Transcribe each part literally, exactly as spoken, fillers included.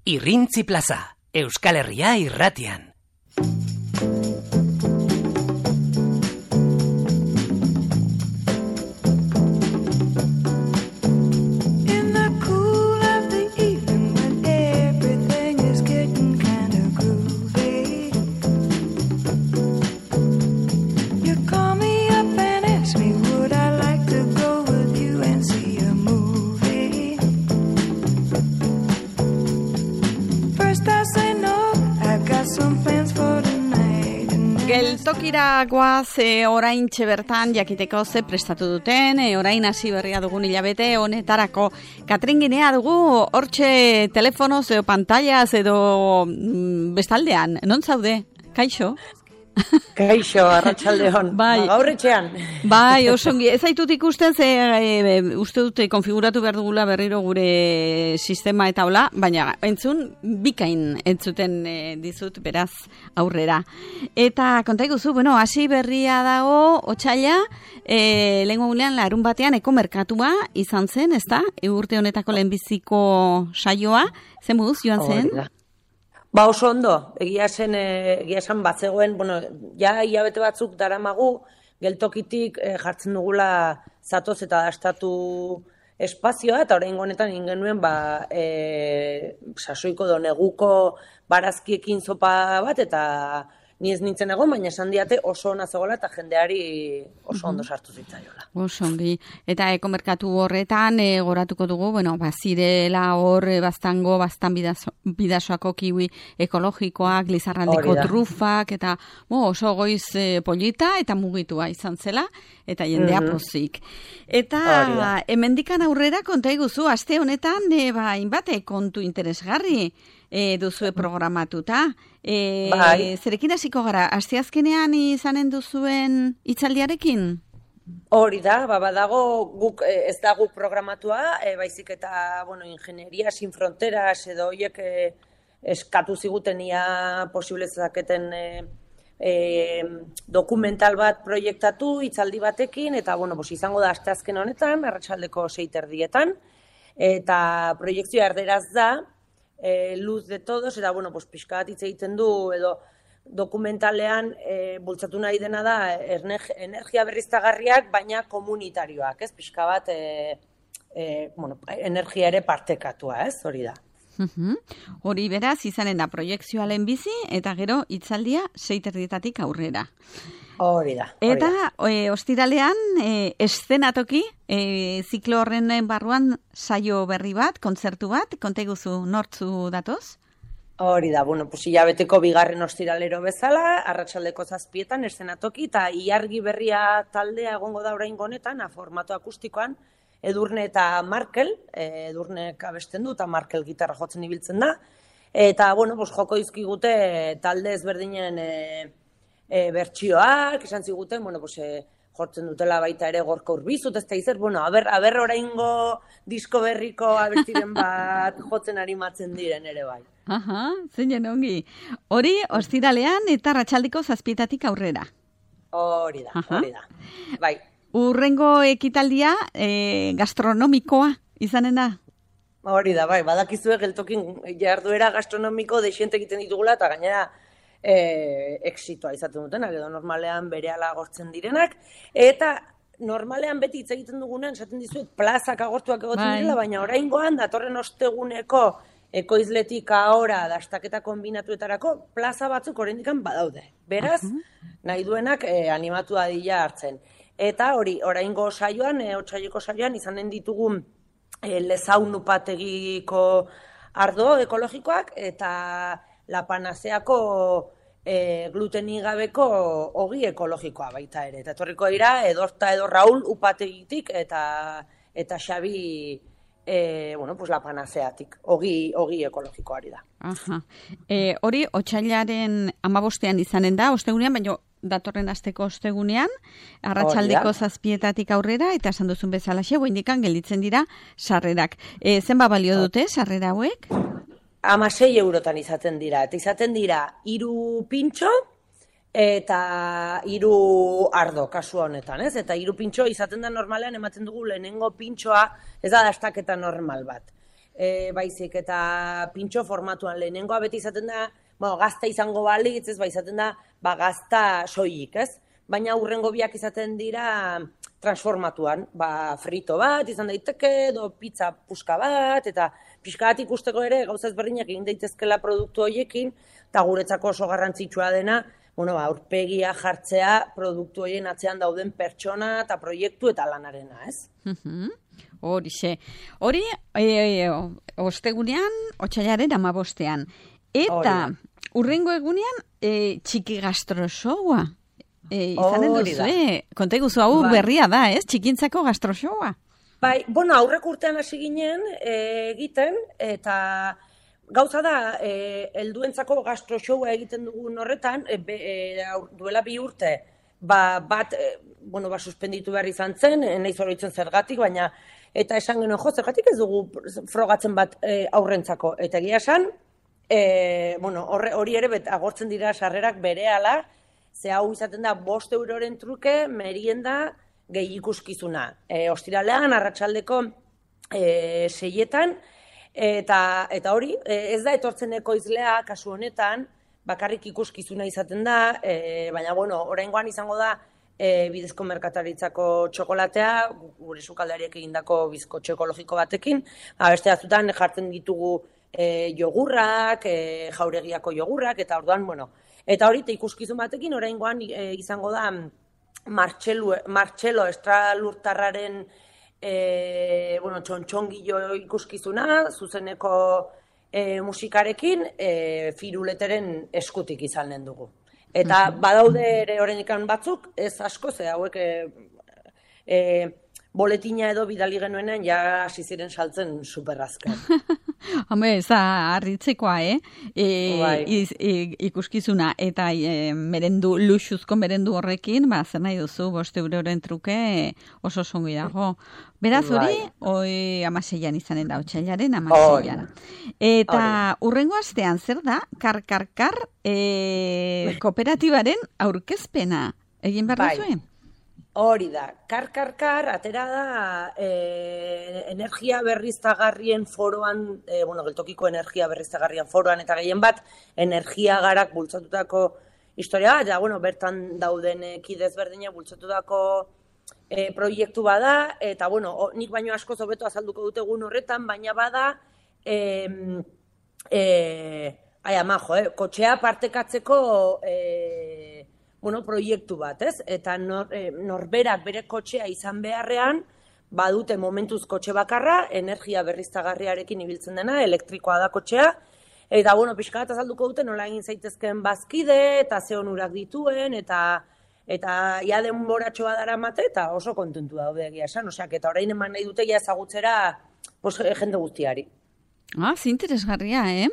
Irrintzi plaza, Euskal Herria irratian. Geltokira goaz e, orain txebertan jakiteko ze prestatu duten, e, orain hasi berria dugun hilabete honetarako. Katrin Ginea dugu, hortxe telefonoz edo pantallaz edo mm, bestaldean, non zaude? Kaixo? Kaixo, arratsaldeon. Bai. Gaur etxean. Bai, osongi. Ez zaitut ikusten, ze e, uste dute konfiguratu behar dugula berriro gure sistema eta hola, baina entzun bikain entzuten e, dizut, beraz, aurrera. Eta konta iguzu, bueno, hasi berria dago, otsaila, e, lehenko gunean larun batean eko merkatua izan zen, ezta? Urte honetako lehenbiziko saioa, zen moduz joan zen? Horrela. Ba oso ondo, egia zen, egia esan batzegoen, bueno, ja hilabete batzuk daramagu, geltokitik e, jartzen dugula zatoz eta dastatu espazioa, eta orain honetan ingenuen, ba, e, sasoiko do neguko barazkiekin zopa bat, eta ni ez nintzen egon, baina esan diate oso ona zegoela eta jendeari oso ondo sartu zitzaiola. Oso ongi. Eta ekomerkatu horretan e, goratuko dugu, bueno, bazirela hor e, baztango, baztan bidazo, bidasoako kiwi ekologikoak, Lizarraldeko trufak, eta bo, oso goiz e, polita eta mugitua izan zela, eta jendea mm-hmm. pozik. Eta hemendikan aurrera konta iguzu, aste honetan, e, ba, inbate kontu interesgarri e, duzue programatuta. E, bai. Zerekin hasiko gara, asteazkenean izanen duzuen hitzaldiarekin? Hori da, ba, badago guk ez da guk programatua, e, baizik eta, bueno, ingenieria sin fronteras edo hoiek e, eskatu zigutenia posible zaketen e, e, dokumental bat proiektatu hitzaldi batekin, eta, bueno, bos, izango da asteazken honetan, arratsaldeko sei terdietan, eta proiektzioa erderaz da, E, luz de todos, eta, bueno, pues, pixka bat hitz egiten du, edo dokumentalean e, bultzatu nahi dena da energia berriztagarriak, baina komunitarioak, ez? Pixka bat e, e, bueno, energia ere partekatua, ez? Hori da. Uhum. Hori beraz, izanen da proiektzioa lehenbizi, eta gero hitzaldia sei terdietatik aurrera. Hori da. Hori eta da. E, ostiralean, e, eszenatoki, e, ziklo horren barruan saio berri bat, kontzertu bat, konta iguzu nortzu datoz? Hori da, bueno, pues hilabeteko bigarren ostiralero bezala, arratsaldeko zazpietan eszenatoki, eta iargi berria taldea egongo da oraingo honetan, formato akustikoan, Edurne eta Markel, e, Edurnek abesten du, eta Markel gitarra jotzen ibiltzen da, eta, bueno, pues, joko izkigute talde ezberdinen e, e, bertsioak, esan ziguten, bueno, pues, e, jortzen dutela baita ere Gorka Urbizut, ez da izer, bueno, aber, aber oraingo disko berriko abestiren bat jotzen arimatzen diren ere bai. Aha, zeinen ongi. Hori, ostiralean eta arratsaldeko zazpietatik aurrera. Hori da, Aha. hori da. Bai. Urrengo ekitaldia e, gastronomikoa izanen da? Hori da, bai, badakizue geltokin jarduera gastronomiko desiente egiten ditugula, eta gainera e, exitoa izaten dutenak, edo normalean berehala agortzen direnak, eta normalean beti hitz egiten dugunean, esaten dizuet, plazak agortuak egoten bai. direla, baina oraingoan datorren osteguneko ekoizletik ahora dastaketa kombinatuetarako plaza batzuk oraindikan badaude. Beraz, uh-huh. nahi duenak e, animatu dadila hartzen. Eta hori, oraingo saioan, e, otsaileko saioan, izanen ditugun e, lezaun upategiko ardo ekologikoak, eta La Panaseako e, glutenik gabeko ogi ekologikoa baita ere. Eta etorriko dira, Edorta edo Raul upategitik, eta, eta Xabi E, bueno, pues La Panaseatik, ogi, ogi ekologikoari da. Aha. E, hori, otsailaren hamabostean izanen da, ostegunean, baina datorren asteko ostegunean, arratsaldeko zazpietatik aurrera, eta esan duzun bezala xe, indikan gelditzen dira sarrerak. E, zenba balio dute sarrera hauek? Hamasei eurotan izaten dira, eta izaten dira hiru pintxo, eta hiru ardo kasu honetan, ez? Eta hiru pintxo izaten da normalean ematen dugu lehenengo pintxoa, ez da dastaketa normal bat. e, baizik eta pintxo formatuan lehenengoa beti izaten da, bueno, gazta izango balitz, ez, ba, izaten da, ba, gazta soilik, ez? Baina hurrengo biak izaten dira transformatuan, ba, frito bat, izan daiteke, edo pizza puska bat, eta pixka bat ikusteko ere gauza ezberdinak egin daitezkela produktu horiekin, eta guretzako oso garrantzitsua dena, bueno, ba, aurpegia jartzea produktu horien atzean dauden pertsona eta proiektu eta lanarena, ez? Horixe. Hori, e, ostegunean, otsailaren amabostean. Eta, hurrengo egunean, e, txiki gastrosoua. E, izanen duzu, eh? Konta iguzu, hau bai. Berria da, ez? Txikintzako gastrosoua. Bai, bueno, aurrek urtean hasi ginen e, egiten, eta gauza da, e, helduentzako gastrosoua egiten dugun horretan, e, be, e, duela bi urte, ba, bat, e, bueno, ba, suspenditu behar izan zen, e, nahiz oroitzen zergatik, baina, eta esan genuen, jo, zergatik ez dugu frogatzen bat e, aurrentzako. Eta egia esan, e, bueno, hori ere bet, agortzen dira sarrerak berehala, ze hau izaten da bost euroren truke merienda gehi ikuskizuna. E, ostiralean, arratsaldeko e, seietan, eta, eta hori, e, ez da etortzen ekoizlea, kasu honetan, bakarrik ikuskizuna izaten da, e, baina, bueno, oraingoan izango da e, bidezko merkataritzako txokolatea, gure sukaldariek egindako bizkotxo ekologiko batekin, beste batzutan jartzen ditugu e, jogurrak, e, jauregiako jogurrak, eta orduan, bueno, eta hori, ikuskizun batekin, oraingoan e, izango da Martxelo, Martxelo estralurtarraren e, bueno, txontxongillo ikuskizuna, zuzeneko e, musikarekin, e, firuleteren eskutik izanen dugu. Eta badaude ere horrenikan batzuk, ez asko, ze hauek e, e, boletina edo bidali genuenean ja hasi ziren saltzen superrazken. Home, ez da harritzekoa, eh? E, bai. iz, e, ikuskizuna eta e, merendu, luxuzko merendu horrekin, ba, zer nahi duzu, bost euroren truke oso songi dago. Beraz hori, oi amaseian izanen da, otsailaren amaseian. Eta hurrengo astean, zer da, kar-kar-kar e, kooperatibaren aurkezpena. Egin behar duzuen? Hori da, kar-kar-kar, atera da e, energia berriztagarrien foroan, e, bueno, geltokiko energia berriztagarrien foroan, eta gehien bat, energia garak bultzatutako historia, eta, bueno, bertan dauden kidez berdine bultzatutako e, proiektu bada, eta, bueno, o, nik baino asko zobeto azalduko dute egun horretan, baina bada, e, e, ai, ama, jo, eh, kotxea partekatzeko e, bueno, proiektu bat, ez? Eta nor, e, norberak bere kotxea izan beharrean, badute momentuz kotxe bakarra, energia berriztagarriarekin ibiltzen dena, elektrikoa da kotxea, eta, bueno, pixka bat azalduko dute nola egin zaitezken bazkide, eta ze onurak dituen, eta eta ia denboratxoa daramate, eta oso kontentu daude egia esan, oseak, eta orain eman nahi dute ja ezagutzera pos, jende guztiari. Ah, zinteresgarria, eh?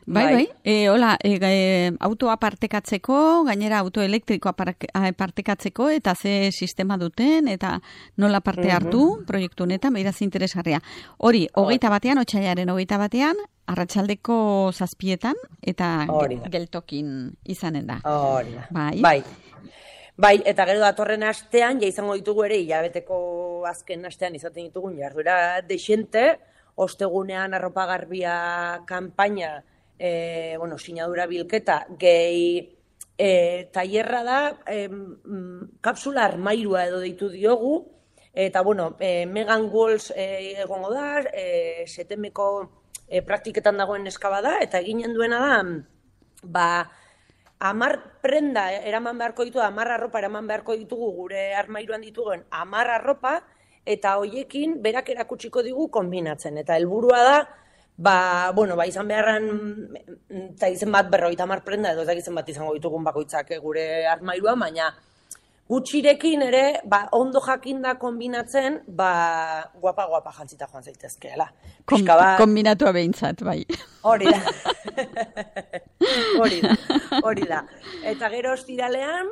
Bai, bai, e, hola, e, e, autoa partekatzeko, gainera auto elektrikoa partekatzeko, eta ze sistema duten, eta nola parte hartu, mm-hmm. proiektu honetan, beira zinteresgarria. Hori, hogeita batean, otsailaren hogeita batean, arratsaldeko zazpietan, eta geltokin izanen da. Hori da, bai. bai. Bai, eta gero datorren astean, ja izango ditugu ere, hilabeteko azken astean izaten ditugun jarduera dexente, ostegunean arropa garbia kanpaina, e, bueno, sinadura bilketa, gehi e, tailerra da, e, kapsula armairua edo deitu diogu, eta, bueno, e, Megan Walls e, egongo da, e, setemeko e, praktiketan dagoen eskaba da, eta eginen duena da, ba, amar prenda eraman beharko ditu, amar arropa eraman beharko ditugu gure armairuan ditugun amar arropa, eta hoiekin berak erakutsiko digu konbinatzen. Eta helburua da, ba, bueno, ba, izan beharran, eta izen bat berroita hamar prenda, edo ez izen bat izango ditugun bakoitzak gure armairuan, baina gutxirekin ere, ba, ondo jakinda konbinatzen, ba, guapa-guapa jantzita joan zaitezkeela. Kon, ba... Kombinatua behintzat, bai. Hori da. Hori da, hori da. Eta gero ostiralean,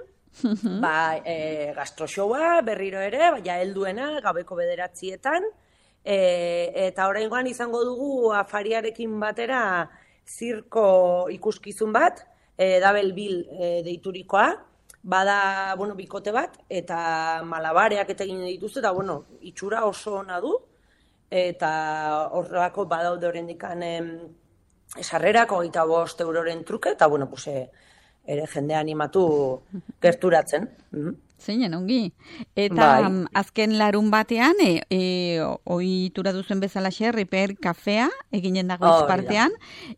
ba, e, gastroshowa berriro ere, baina helduena, gabeko bederatzietan, e, eta oraingoan izango dugu afariarekin batera zirko ikuskizun bat, e, Double Bill e, deiturikoa, bada, bueno, bikote bat, eta malabareak eta egin dituzte, eta, bueno, itxura oso ona du, eta horrelako badaude oraindikan sarrerak hogeita bost euroren truke, eta, bueno, pues, ere jendea animatu gerturatzen. Zeinen, ongi. Eta bai. Azken larun batean, e, e, ohitura duzen bezala xer, Riper kafea, eginen dago oh, partean.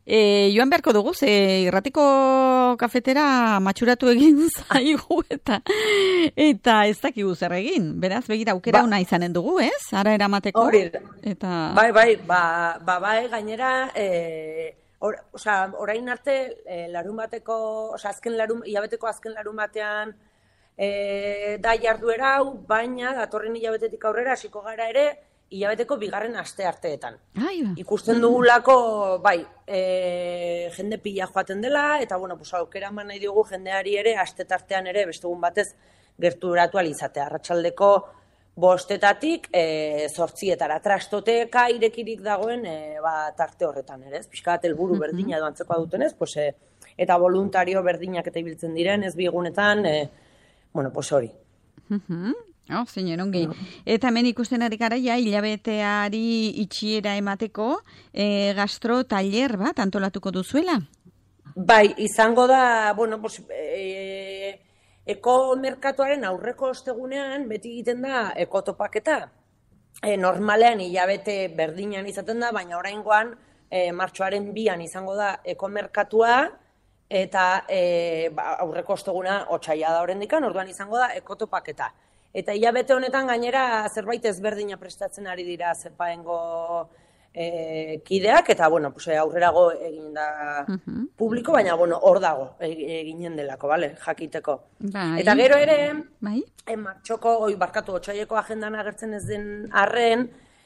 E, joan beharko dugu, ze irratiko kafetera matxuratu egin zaigu, eta eta ez dakigu zer egin. Beraz, begira, aukera ba, una izanen dugu, ez? Ara eramateko. Hori, eta... bai, bai, ba, ba, bai, gainera... E... Or, osa, orain arte, e, larun bateko, osa, azken larun, hilabeteko azken larun batean e, da jarduera hau, baina datorren hilabetetik aurrera hasiko gara ere, hilabeteko bigarren aste arteetan. Ai, ba. Ikusten dugulako, bai, e, jende pila joaten dela, eta, bueno, pues, aukera eman nahi dugu jendeari ere, aste tartean ere, bestegun batez, gerturatu alizatea. Arratsaldeko bostetatik e, zortzietara trastoteka irekirik dagoen e, ba, tarte horretan ere, ez? Pixka bat helburu berdina edo antzekoa dutenez, pues, e, eta voluntario berdinak eta ibiltzen diren, ez biegunetan, e, bueno, pues hori. Uh-huh. Oh, zeinen, ongi. No. Eta hemen ikusten ari gara, ja, hilabeteari itxiera emateko e, gastro taller bat antolatuko duzuela? Bai, izango da, bueno, pues... E, Eko merkatuaren aurreko ostegunean beti egiten da ekotopaketa. E, normalean hilabete berdinan izaten da, baina oraingoan e, martxoaren bian izango da eko merkatua eta e, ba, aurreko osteguna otsaila da oraindikan, orduan izango da ekotopaketa. Eta hilabete honetan gainera zerbait ezberdina prestatzen ari dira zepaengo e, kideak, eta bueno, pues, aurrerago egin da uh-huh. publiko, baina bueno, hor dago eginen delako, vale, jakiteko. Bai. Eta gero ere, bai. e, martxoko, oi, barkatu, otsaileko agendan agertzen ez den arren,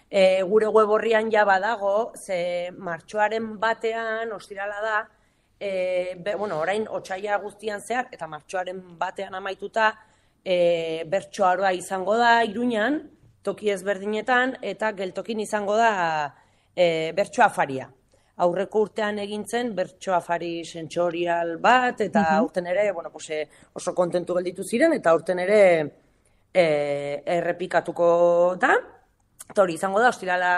e, gure web horrian ja badago, ze martxoaren batean, ostirala da, e, be, bueno, orain otsaila guztian zehar, eta martxoaren batean amaituta, e, bertsoaroa izango da, Iruñan, toki ezberdinetan, eta geltokin izango da, E, bertso afaria. Aurreko urtean egin zen bertso afari sentsorial bat, eta uh-huh. urten ere, bueno, pues, oso kontentu gelditu ziren, eta urten ere e, errepikatuko da. Eta hori izango da, ostirala,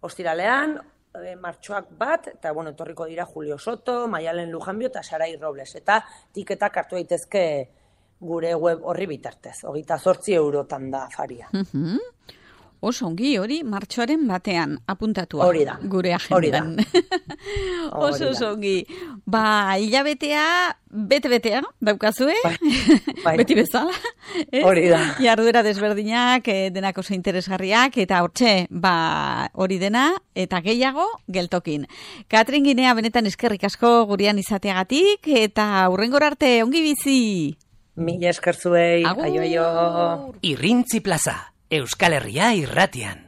ostiralean, e, martxoak bat, eta bueno, etorriko dira Julio Soto, Maialen Lujanbio eta Sarai Robles. Eta tiketak hartu daitezke gure web horri bitartez. Hogeita zortzi eurotan da afaria. Uh-huh. Oso ongi, hori martxoaren batean apuntatua. Hori da. Gure agendan. Oso oso ongi. Ba, hilabetea, bete-betea, daukazue. Bai, bai. Beti bezala. Hori da. Jarduera desberdinak, denak oso interesgarriak, eta hortxe, ba, hori dena, eta gehiago, geltokin. Katrin Ginea, benetan eskerrik asko gurean izateagatik, eta hurrengor arte, ongi bizi. Mila esker zuei. Agur. Aio, aio. Irrintzi plaza. Euskal Herria irratian.